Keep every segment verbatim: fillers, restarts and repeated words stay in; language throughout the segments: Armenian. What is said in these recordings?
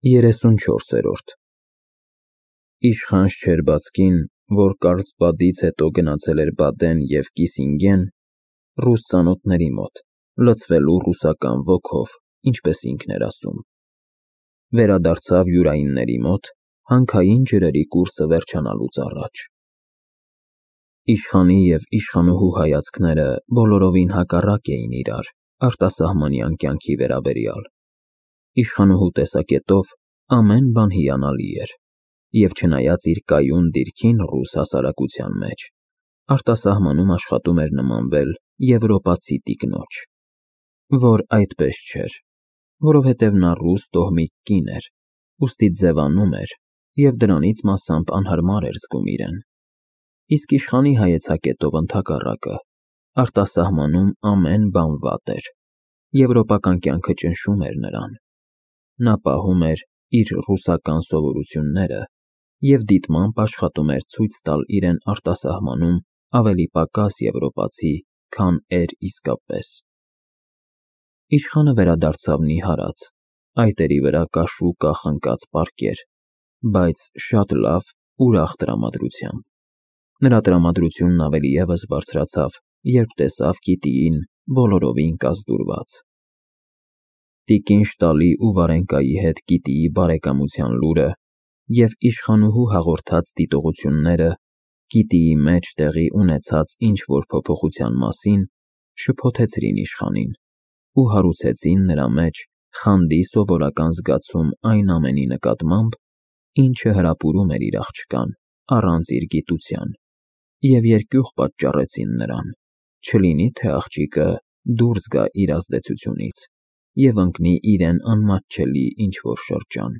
երեսունչորսերորդ Իշխան Շչերբացկին, որ կարծբադից հետո գնացել էր Բադեն և Կիսինգեն, ռուս ծանոթների մոտ, լցվելու ռուսական ոգով, ինչպես ինքն էր ասում, վերադարձավ յուրայինների մոտ, հանքային ջրերի կուրսը վերջանալուց առաջ։ Իշխանի և իշխանուհու հայացքները բոլորովին հակառակ էին իրար արտասահմանյան կյանքի վերաբերյալ։ Իշխանուհու տեսակետով ամեն բան հիանալի էր, և չնայած իր կայուն դիրքին ռուս հասարակության մեջ, արտասահմանում աշխատում էր նմանվել եվրոպացի տիկնոջ, որ այդպես չէր, որովհետև նա ռուս տոհմիկ կին էր, ուստի ձևանում էր և դրանից մասամբ անհարմար էր զգում իրեն։ Իսկ իշխանի հայեցակետով ընդհակառակը, արտասահմանում ամեն բան վատ էր, եվրոպական կյանքը ճնշում էր նրան։ Նա պահում էր իր ռուսական սովորությունները և դիտմամբ աշխատում էր ցույց տալ իրեն արտասահմանում ավելի պակաս եվրոպացի, քան էր իսկապես։ Իշխանը վերադարձավ նիհարած, այտերի վրա կաշու-կախ ընկած պառկեր, բայց շատ լավ, ուրախ տրամադրությամբ։ Նրա տրամադրությունն ավելի ևս բարձրացավ, երբ տեսավ Կիտիին բոլորովին կազդուրված։ Տիկին Շտալի ու Վարենկայի հետ Կիտիի բարեկամության լուրը և իշխանուհու հաղորդած դիտողությունները Կիտիի մեջ տեղի ունեցած ինչ-որ փոփոխության մասին շփոթեցրին իշխանին ու հարուցեցին նրա մեջ խանդի սովորական զգացում այն ամենի նկատմամբ, ինչը հրապուրում էր իր աղջկան առանց իր գիտության, և երկյուղ պատճառեցին նրան, չլինի թե աղջիկը դուրս գա իր ազդեցությունից և ընկնի իրեն անմատչելի ինչ-որ շրջան։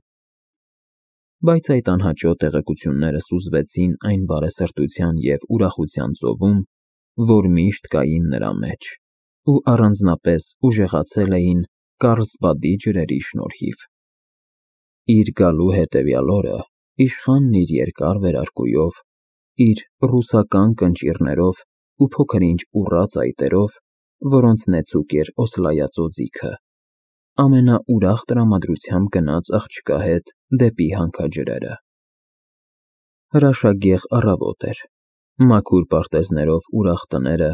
Բայց այդ անհաճո տեղեկությունները սուզվեցին այն բարեսրտության և ուրախության ծովում, որ միշտ կային նրա մեջ ու առանձնապես ուժեղացել էին Կարլսբադի ջրերի շնորհիվ։ Իր գալու հետևյալ օրը իշխանն իր երկար վերարկուով, իր ռուսական կնճիռներով ու փոքր-ինչ ուռած այտերով, որոնց նեցուկ էր Օսլայածոծիքը, ամենաուրախ տրամադրությամբ գնաց աղջկա հետ դեպի հանքաջրերը։ Հրաշագեղ առավոտ էր, մաքուր պարտեզներով ուրախ տները,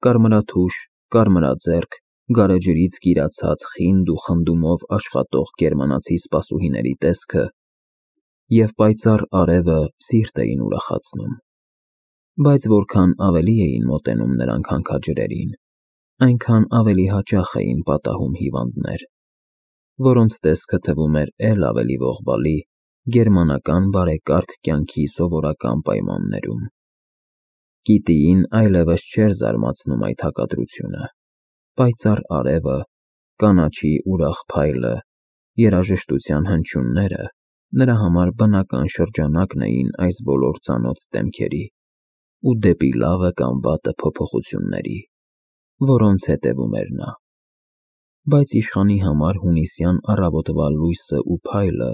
կարմրաթուշ, կարմրաձեռք, գարեջրից կիրացած խինդ ու խնդումով աշխատող գերմանացի սպասուհիների տեսքը և պայծառ արևը սիրտ էին ուրախացնում։ Բայց որքան ավելի էին մոտենում նրանք հանքաջրերին, այնքան ավելի հաճախ էին պատահում հիվանդներ, որոնց տեսքը թվում էր էլ ավելի ողբալի գերմանական բարեկարգ կյանքի սովորական պայմաններում։ Կիտիին այլևս չէր զարմացնում այդ հակադրությունը։ Պայծառ արևը, կանաչի ուրախ փայլը, երաժշտության հնչյունները նրա համար բնական շրջանակն էին այս բոլոր ծանոթ դեմքերի ու դեպի լավը կամ վատը փոփոխությունների, որոնց հետևում էր նա։ Բայց իշխանի համար հունիսյան առավոտվա լույսը ու փայլը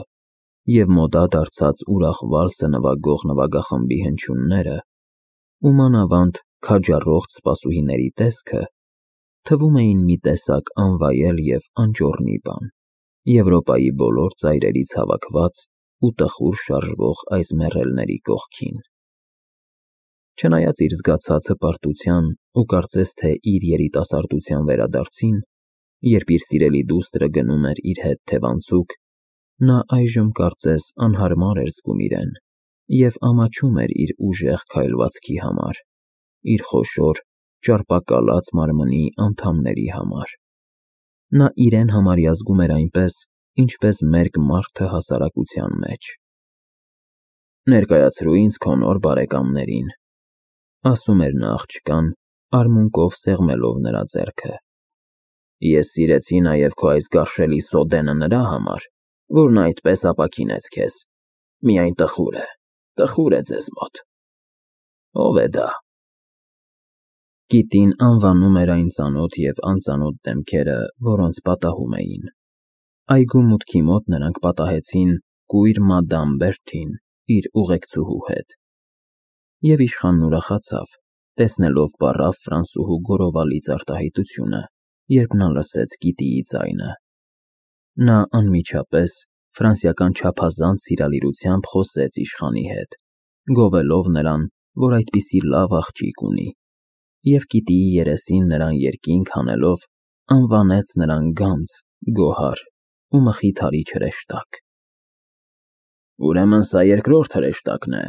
և մոդա դարձած ուրախ վալսը նվագող նվագախմբի հնչյունները ու մանավանդ քաջառողջ սպասուհիների տեսքը թվում էին մի տեսակ անվայել և անճոռնի բան, Եվրոպայի բոլոր ծայրերից հավաքված ու տխուր շարժվող այս մեռելների կողքին։ Չնայած իր զգացած հպարտության ու կարծես թե իր երիտասարդության վերադարձին, երբ իր սիրելի դուստրը գնում էր իր հետ թևանցուկ, նա այժմ կարծես անհարմար էր զգում իրեն և ամաչում էր իր ուժեղ քայլվածքի համար, իր խոշոր, ճարպակալած մարմնի անդամների համար։ Նա իրեն համարյա զգում էր այնպես, ինչպես մերկ մարդը հասարակության մեջ։ «Ներկայացրու ինձ քո նոր բարեկամներին», ասում էր նա աղջկան, արմունկով սեղմելով նրա ձեռքը։ «Ես սիրեցի նաև քո այս գարշելի սոդենը նրա համար, որն այդպես ապաքինեց քեզ, միայն տխուր է, տխուր է ձեզ մոտ։ Ո՞վ է դա»։ Կիտին անվանում էր այն ծանոթ և անծանոթ դեմքերը, որոնց պատահում էին։ Այգու մուտքի մոտ նրանք պատահեցին կույր մադամ Բերթին իր ուղեկցուհու հետ։ Եվ իշխանն ուրախացավ, տեսնելով պառավ ֆրանսուհու գորովալից արտահայտությունը, երբ նա լսեց Կիտիի ձայնը։ Նա անմիջապես ֆրանսիական չափազանց սիրալիրությամբ խոսեց իշխանի հետ, գովելով նրան, որ այդպիսի լավ աղջիկ ունի, և գիտիի երեսին նրան երկինք հանելով, անվանեց նրան գանձ, գոհար ու մխիթարիչ հրեշտակ։ «Ուրեմն սա երկրորդ հրեշտակն է,»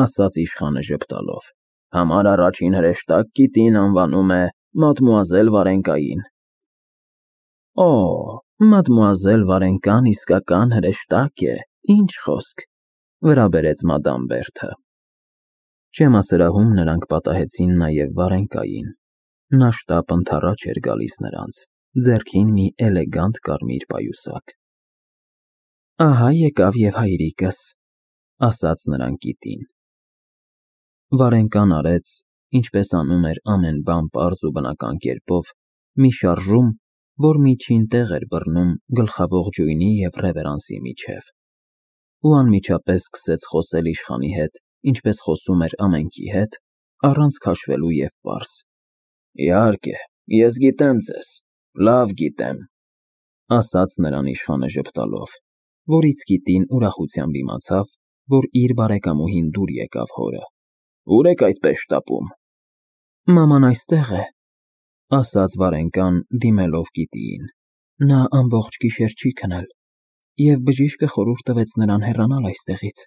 ասաց իշխանը ժպտալով, «համար առաջին հրեշտակ կիտին անվանում է մադմուազել Վարենկային»։ «Օ, մադմուազել Վարենկան իսկական հրեշտակ է, ինչ խոսք,֊ վրա բերեց մադամ Բերթը։ Չեմասրահում նրանք պատահեցին նաև Վարենկային, նա շտապ ընդառաջ էր գալիս նրանց, ձեռքին մի էլեգանտ կարմիր պայուսակ։ «Ահա եկավ և հայրիկս,֊ ասաց նրան կիտին։ Վարենկան արեց, ինչպես անում էր ամեն բան պարզ ու բնական կերպով, մի շարժում, որ միջին տեղ էր բռնում գլխաողջույնի և ռևերանսի միջև, ու անմիջապես սկսեց խոսել իշխանի հետ, ինչպես խոսում էր ամենքի հետ, առանց քաշվելու և պարզ։ «Իհարկե, ես գիտեմ ձեզ, լավ գիտեմ,֊ ասաց նրան իշխանը ժպտալով, որից կիտին ուրախությամբ իմացավ, որ իր բարեկամուհին դուր եկավ հորը։ Ո՞ւր եք այդպես շտապում»։ «Մաման այստեղ է,֊ ասաց Վարենկան, դիմելով կիտիին, նա ամբողջ գիշեր չի քնել, և բժիշկը խորհուրդ տվեց նրան հեռանալ այստեղից։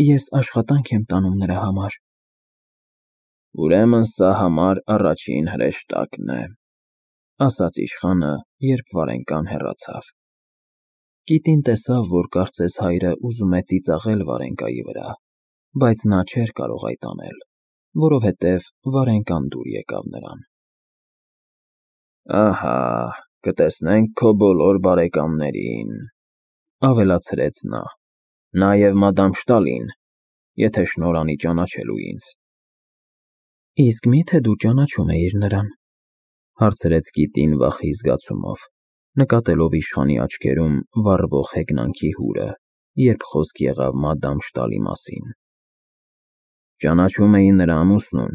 Ես աշխատանք եմ տանում նրա համար»։ «Ուրեմն սա համար առաջին հրեշտակն է,֊ ասաց իշխանը, երբ Վարենկան հեռացավ։ Կիտին տեսավ, որ կարծես հայրը ուզում է ծիծաղել Վարենկայի վրա, բայց նա չէր կարող այդ անել, որովհետև Վարենկան դուր եկավ նրան։ «Ահա, կտեսնենք քո բոլոր բարեկամներին,֊ ավելացրեց նա,֊ նաև մադամ Շտալին, եթե շնոր անի ճանաչելու ինձ»։ «Իսկ մի՞թե դու ճանաչում էիր նրան,֊ հարցրեց կիտին վախի զգացումով, նկատելով իշխանի աչքերում վառվող հեգնանքի հուրը, երբ խոսք եղավ մադամ Շտալի մասին։ «Ճանաչում էի նրա ամուսնուն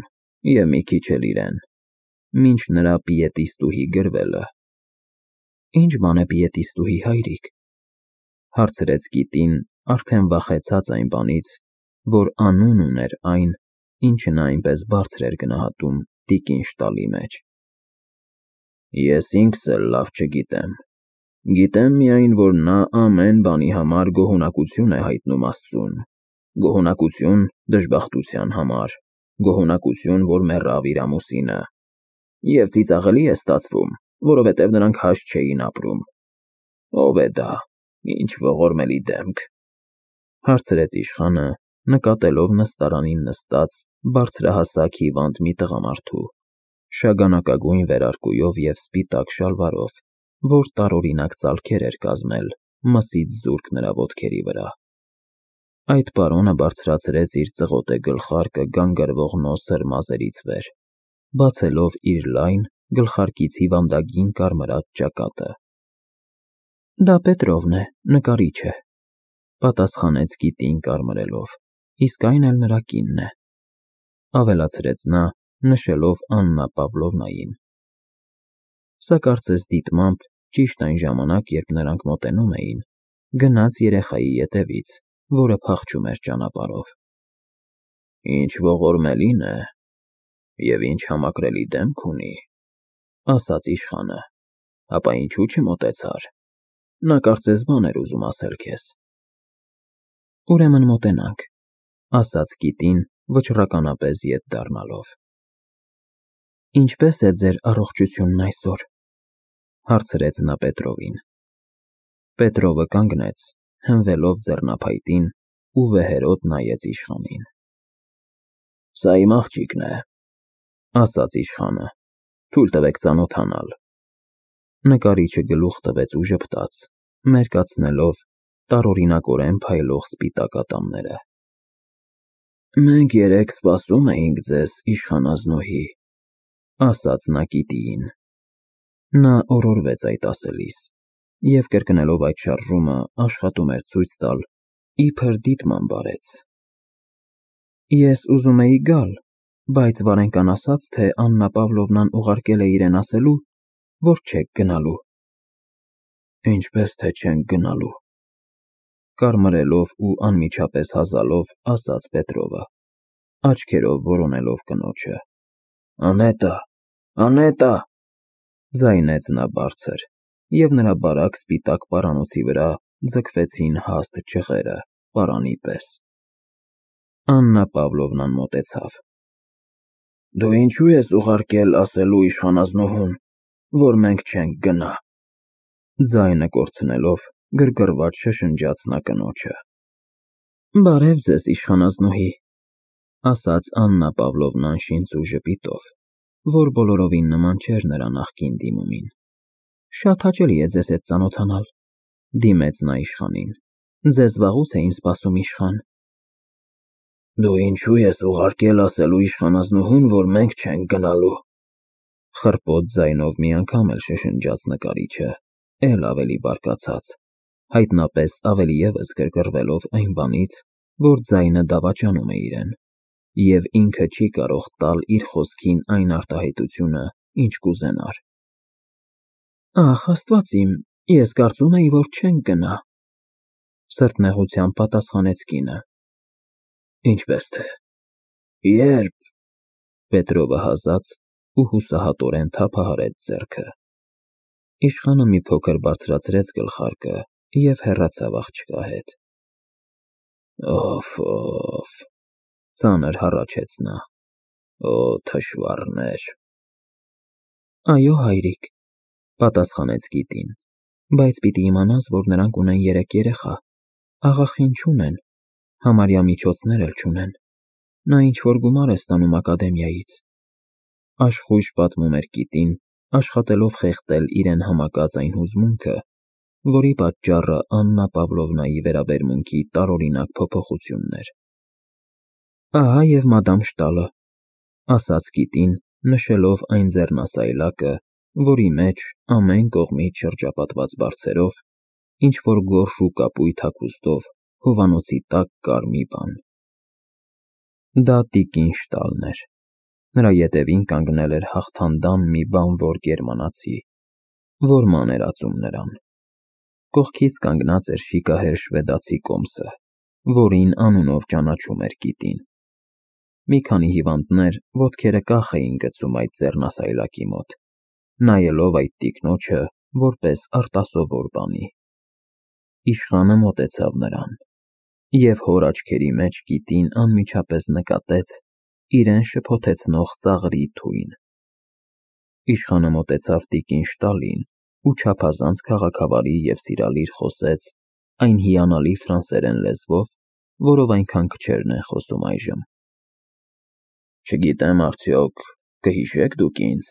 և մի քիչ էլ իրեն, մինչ նրա պիետիստուհի գրվելը»։ «Ի՞նչ բան է պիետիստուհի, հայրիկ,֊ հարցրեց կիտին, արդեն վախեցած այն բանից, որ անուն ուներ այն, ինչը նա այնպես բարձր էր գնահատում տիկին Շտալի մեջ։ «Ես ինքս էլ լավ չգիտեմ, գիտեմ միայն, որ նա ամեն բանի համար գոհունակություն է հայտնում աստծուն, գոհունակություն դժբախտության համար, գոհունակություն, որ մեռավ իր ամուսինը, և ծիծաղելի է ստացվում, որովհետև նրանք հաշտ չէին ապրում։ Ո՞վ է դա, ինչ ողորմելի դեմք,֊ հարցրեց իշխանը, նկատելով նստարանին նստած բարձրահասակ հիվանդ մի տղամարդու, շագանակագույն վերարկուով և սպիտակ շալվարով, որ տարօրինակ ծալքեր էր կազմել մսից զուրկ նրա ոտքերի վրա։ Այդ պարոնը բարձրացրեց իր ծղոտե գլխարկը գանգրվող նոսր մազերից վեր, բացելով իր լայն, գլխարկից հիվանդագին կարմրած ճակատը։ «Դա Պետրովն է, նկարիչը,֊ պատասխանեց կիտին կարմրելով,֊ իսկ այն էլ նրա կինն է,֊ ավելացրեց նա, նշելով Աննա Պավլովնային։ Սա կարծես դիտմամբ, ճիշտ այն ժամանակ, երբ նրանք մոտենում էին, գնաց երեխայի ետևից, որը փախչում էր ճանապարհով։ «Ինչ ողորմելին է և ինչ համակրելի դեմք ունի,֊ ասաց իշխանը,֊ ապա ինչու չմոտեցար, նա կարծես բան էր ուզում ասել քեզ»։ «Ուրեմն մոտենանք,֊ ասաց կիտին, վճռականապես ետ դառնալով։ Ինչպե՞ս է ձեր առողջությունն այսօր,֊ հարցրեց նա Պետրովին։ Պետրովը կանգնեց, հենվելով ձեռնափայտին ու վեհերոտ նայեց իշխանին։ «Սա իմ աղջիկն է,֊ ասաց իշխանը,֊ թույլ տվեք ծանոթանալ»։ Նկարիչը գլուխ տվեց ու ժպտաց, մերկացնելով տարօրինակորեն փայլող սպիտակ ատամները։ «Մենք երեկ սպասում էինք ձեզ, իշխանազնուհի,֊ ասաց նա կիտիին։ Նա օրորվեց այդ ասելիս, և կրկնելով այդ շարժումը աշխատում էր ցույց տալ, իբր դիտմամբ արեց։ «Ես ուզում էի գալ, բայց Վարենկան ասաց, թե Աննա Պավլովնան ուղարկել է իրեն ասելու, որ չեք գնալու»։ «Ինչպես թե չենք գնալու,֊ Կարմրելով ու անմիջապես հազալով ասաց Պետրովը, աչքերով որոնելով կնոջը։ Անետա, Անետա, ձայնեց նա բարձր, և նրա բարակ սպիտակ պարանոցի վրա ձգվեցին հաստ ճղերը, պարանի պես։ Աննա Պավլովնան մոտեցավ։ Դու ինչու ես ուղարկել ասելու իշխանազնուհուն, որ մենք չենք գնա։ Ձայնը կորցնելով, գրգռված շշնջաց նա կնոջը։ Բարև ձեզ, իշխանազնուհի, ասաց Աննա Պավլովնան շինծ ու ժպիտով, որ բոլորովին նման չէր նրա նախկին դիմումին։ Շատ հաճելի է ձեզ հետ ծանոթանալ, դիմեց նա իշխանին։ Ձեզ վաղուց էին սպասում, իշխան։ Դու ինչու ես ուղարկել ասելու իշխանազնուհուն, որ մենք չենք գնալու, խռպոտ ձայնով մի անգամ էլ շշնջաց նկարիչը, էլ ավելի բարկացած, հայտնապես ավելի ևս գրգռվելով այն բանից, որ ձայնը դավաճանում է իրեն, և ինքը չի կարող տալ իր խոսքին այն արտահայտությունը, ինչ կուզենար։ Ախ, Աստված իմ, ես կարծում էի, որ չենք գնա, սրտնեղությամբ պատասխանեց կինը։ Ինչպես թե, երբ, Պետրովը հազաց ու հուսահատորեն թափահարեց ձեռքը։ Իշխանը մի փոքր բարձրացրեց գլխարկը և հեռացավ աղջկա հետ։ Օֆ, օֆ, ծանր հառաչեց նա, օ, թշվառներ։ Այո, հայրիկ, պատասխանեց կիտին, բայց պիտի իմանաս, որ նրանք ունեն երեք երեխա, աղախին չունեն, համարյա միջոցներ էլ չունեն, նա ինչ-որ գումար է ստանում ակադեմիայից։ Աշխույժ պատմում էր կիտին, աշխատելով խեղդել իրեն համակած այն հուզմունքը, որի պատճառը Աննա Պավլովնայի վերաբերմունքի տարօրինակ փոփոխությունն էր։ Ահա և մադամ Շտալը, ասաց կիտին, նշելով այն ձեռնասայլակը, որի մեջ, ամեն կողմից շրջապատված բարձերով, ինչ-որ գորշ ու կապույտ հագուստով, հովանոցի տակ կար մի բան։ Դա տիկին Շտալն էր։ Նրա ետևին կանգնել էր հաղթանդամ մի բանվոր գերմանացի, որ ման էր ածում նրան։ Կողքից կանգնած էր շիկահեր շվեդացի կոմսը, որին անունով ճանաչում էր կիտին։ Մի քանի հիվանդներ ոտքերը կախ էին գցում այդ ձեռնասայլակի մոտ, նայելով այդ տիկնոջը որպես արտասովոր բանի։ Իշխանը մոտեցավ նրան, և հոր աչքերի մեջ կիտին անմիջապես նկատեց իրեն շփոթեցնող ծաղրի թույն։ Իշխանը մոտեցավ տիկին Շտալին ու չափազանց քաղաքավարի և սիրալիր խոսեց այն հիանալի ֆրանսերեն լեզվով, որով այնքան քչերն են խոսում այժմ։ Չգիտեմ արդյոք կհիշեք դուք ինձ,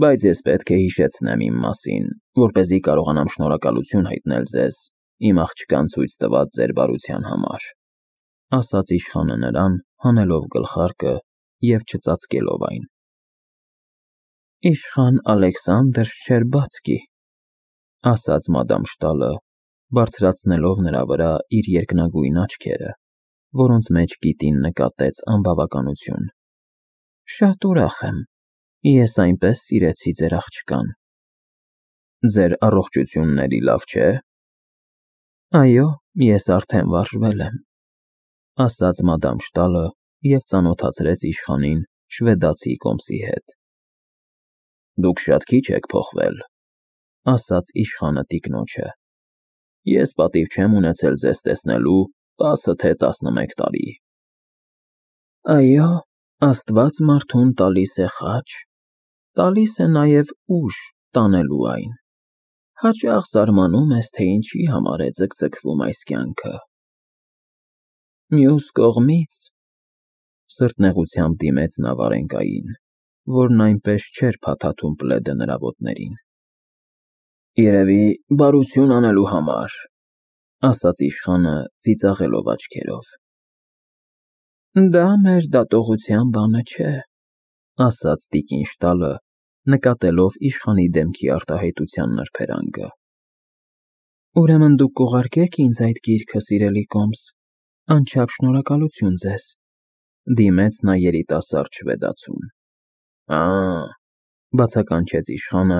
բայց ես պետք է հիշեցնեմ իմ մասին, որպեսզի կարողանամ շնորհակալություն հայտնել ձեզ իմ աղջկան ցույց տված ձեր բարության համար, ասաց իշխանը նրան, հանելով գլխարկը և չծածկելով այն։ Իշխան Ալեքսանդր Շչերբացկի, ասաց մադամ Շտալը, բարձրացնելով նրա վրա իր երկնագույն աչքերը, որոնց մեջ կիտին նկատեց անբավականություն։ Շատ ուրախ եմ, ես այնպես սիրեցի ձեր աղջկան։ Ձեր առողջությունն էլի լավ չէ։ Այո, ես արդեն վարժվել եմ, ասաց մադամ Շտալը և ծանոթացրեց իշխանին շվեդացի կոմսի հետ։ Դուք շատ քիչ եք փոխվել, ասաց իշխանը տիկնոջը։ Ես պատիվ չեմ ունեցել ձեզ տեսնելու տասը թե տասնմեկ տարի։ Այո, Աստված մարդուն տալիս է խաչ, տալիս է նաև ուժ տանելու այն։ Հաճախ զարմանում ես, թե ինչի համար է ձգձգվում այս կյանքը։ Մյուս կողմից, սրտնեղությամբ դիմեց նա Վարենկային, որն այնպես չէր փաթաթում պլեդը նրա ոտներին։ Երևի բարություն անելու համար, ասաց իշխանը ծիծաղելով աչքերով։ Դա մեր դատողության բանը չէ, ասաց տիկին Շտալը, նկատելով իշխանի դեմքի արտահայտության նրբերանգը։ Ուրեմն դուք կուղարկեք ինձ այդ գիրքը, սիրելի կոմս, անչափ շնորհակալություն ձեզ, դիմեց նա երիտասարդ շվեդացուն։ Ա, բացականչեց իշխանը,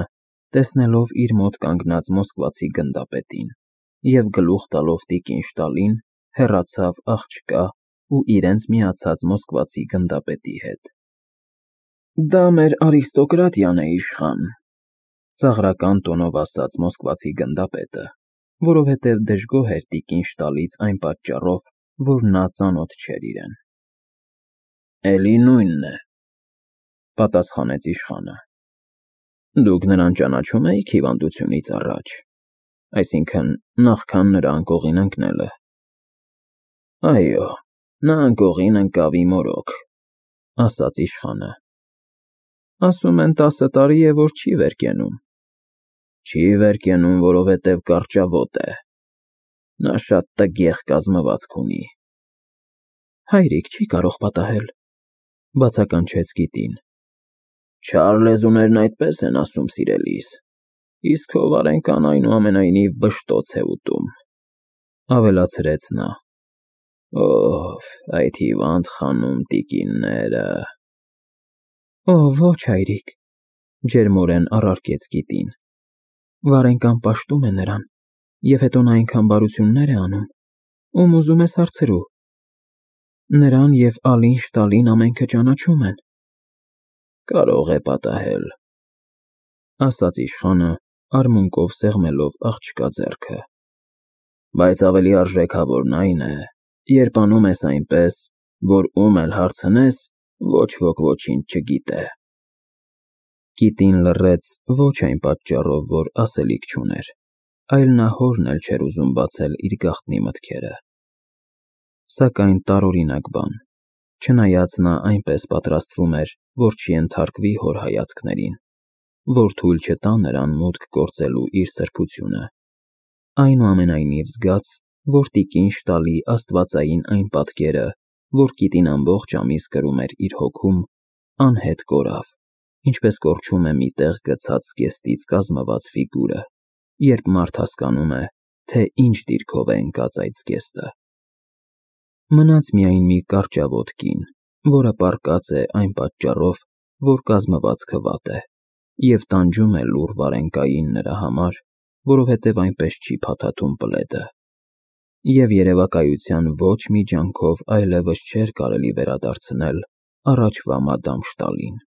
տեսնելով իր մոտ կանգնած մոսկվացի գնդապետին, և գլուխ տալով տիկին Շտալին, հեռացավ աղջկա ու իրենց միացած մոսկվացի գնդապետի հետ։ Դա մեր արիստոկրատիան է իշխան, ծաղրական տոնով ասաց մոսկվացի գնդապետը, որովհետև դժգոհ էր տիկին Շտալից այն պատճառով, որ նա ծանոթ չէր իրեն։ Էլի նույնն է, պատասխանեց իշխանը։ Դուք նրան ճանաչում էիք հիվանդությունից առաջ, այսինքն նախքան նրա անկողին ընկնելը։ Այո, նա անկողին ընկավ իմ օրոք, ասաց իշխանը։ Ասում են տասը տարի է, որ չի վեր կենում։ Չի վեր կենում, որովհետև կարճավոտ է։ Նա շատ տգեղ կազմվածք ունի։ Հայրիկ չի կարող պատահել, բացականչեց Կիտին։ Չար լեզուներն այդպես են ասում, սիրելիս, իսկ քո վարենկան այնուամենայնիվ բշտոց է ուտում, ավելացրեց նա։ Ով, այդ հիվանդ խանում տիկինները… Օ, ոչ, հայրիկ, ջերմորեն առարկեց Կիտին։ Վարենկան պաշտում է նրան, և հետո նա այնքան բարություններ է անում, ում ուզում ես հարցրու։ Նրան և Ալին Շտալին ամենքը ճանաչում են։ Կարող է պատահել, ասաց իշխանը, արմունկով սեղմելով աղջկա ձեռքը։ Բայց ավելի արժեքավորն այն է, երբ անում ես այնպես, որ ում էլ հարցնես, ոչ ոք ոչինչ չգիտե։ Կիտին լռեց ոչ այն պատճառով, որ ասելիք չուներ, այլ նա հորն էլ չէր ուզում բացել իր գաղտնի մտքերը։ Սակայն տարօրինակ բան, չնայած նա այնպես պատրաստվում էր, որ չենթարկվի հոր հայացքներին, որ թույլ չտա նրան մուտք գործելու իր սրբությունը, այնուամենայնիվ զգաց, որ տիկին Շտալի աստվածային այն պատկերը, որ Կիտին ամբողջ ամիս կրում էր իր հոգում, անհետ կորավ, ինչպես կորչում է մի տեղ գցած զգեստից կազմված ֆիգուրը, երբ մարդ հասկանում է, թե ինչ դիրքով է ընկած այդ զգեստը։ Մնաց միայն մի կարճավոտ կին, որը պառկած է այն պատճառով, որ կազմվածքը վատ է, և տանջում է լուռ վարենկային նրա համար, որովհետև այնպես չի փաթաթում պլեդը, և երևակայության ոչ մի ջանքով այլևս չէր կարելի վերադարձնել առաջվա մադամ Շտալին։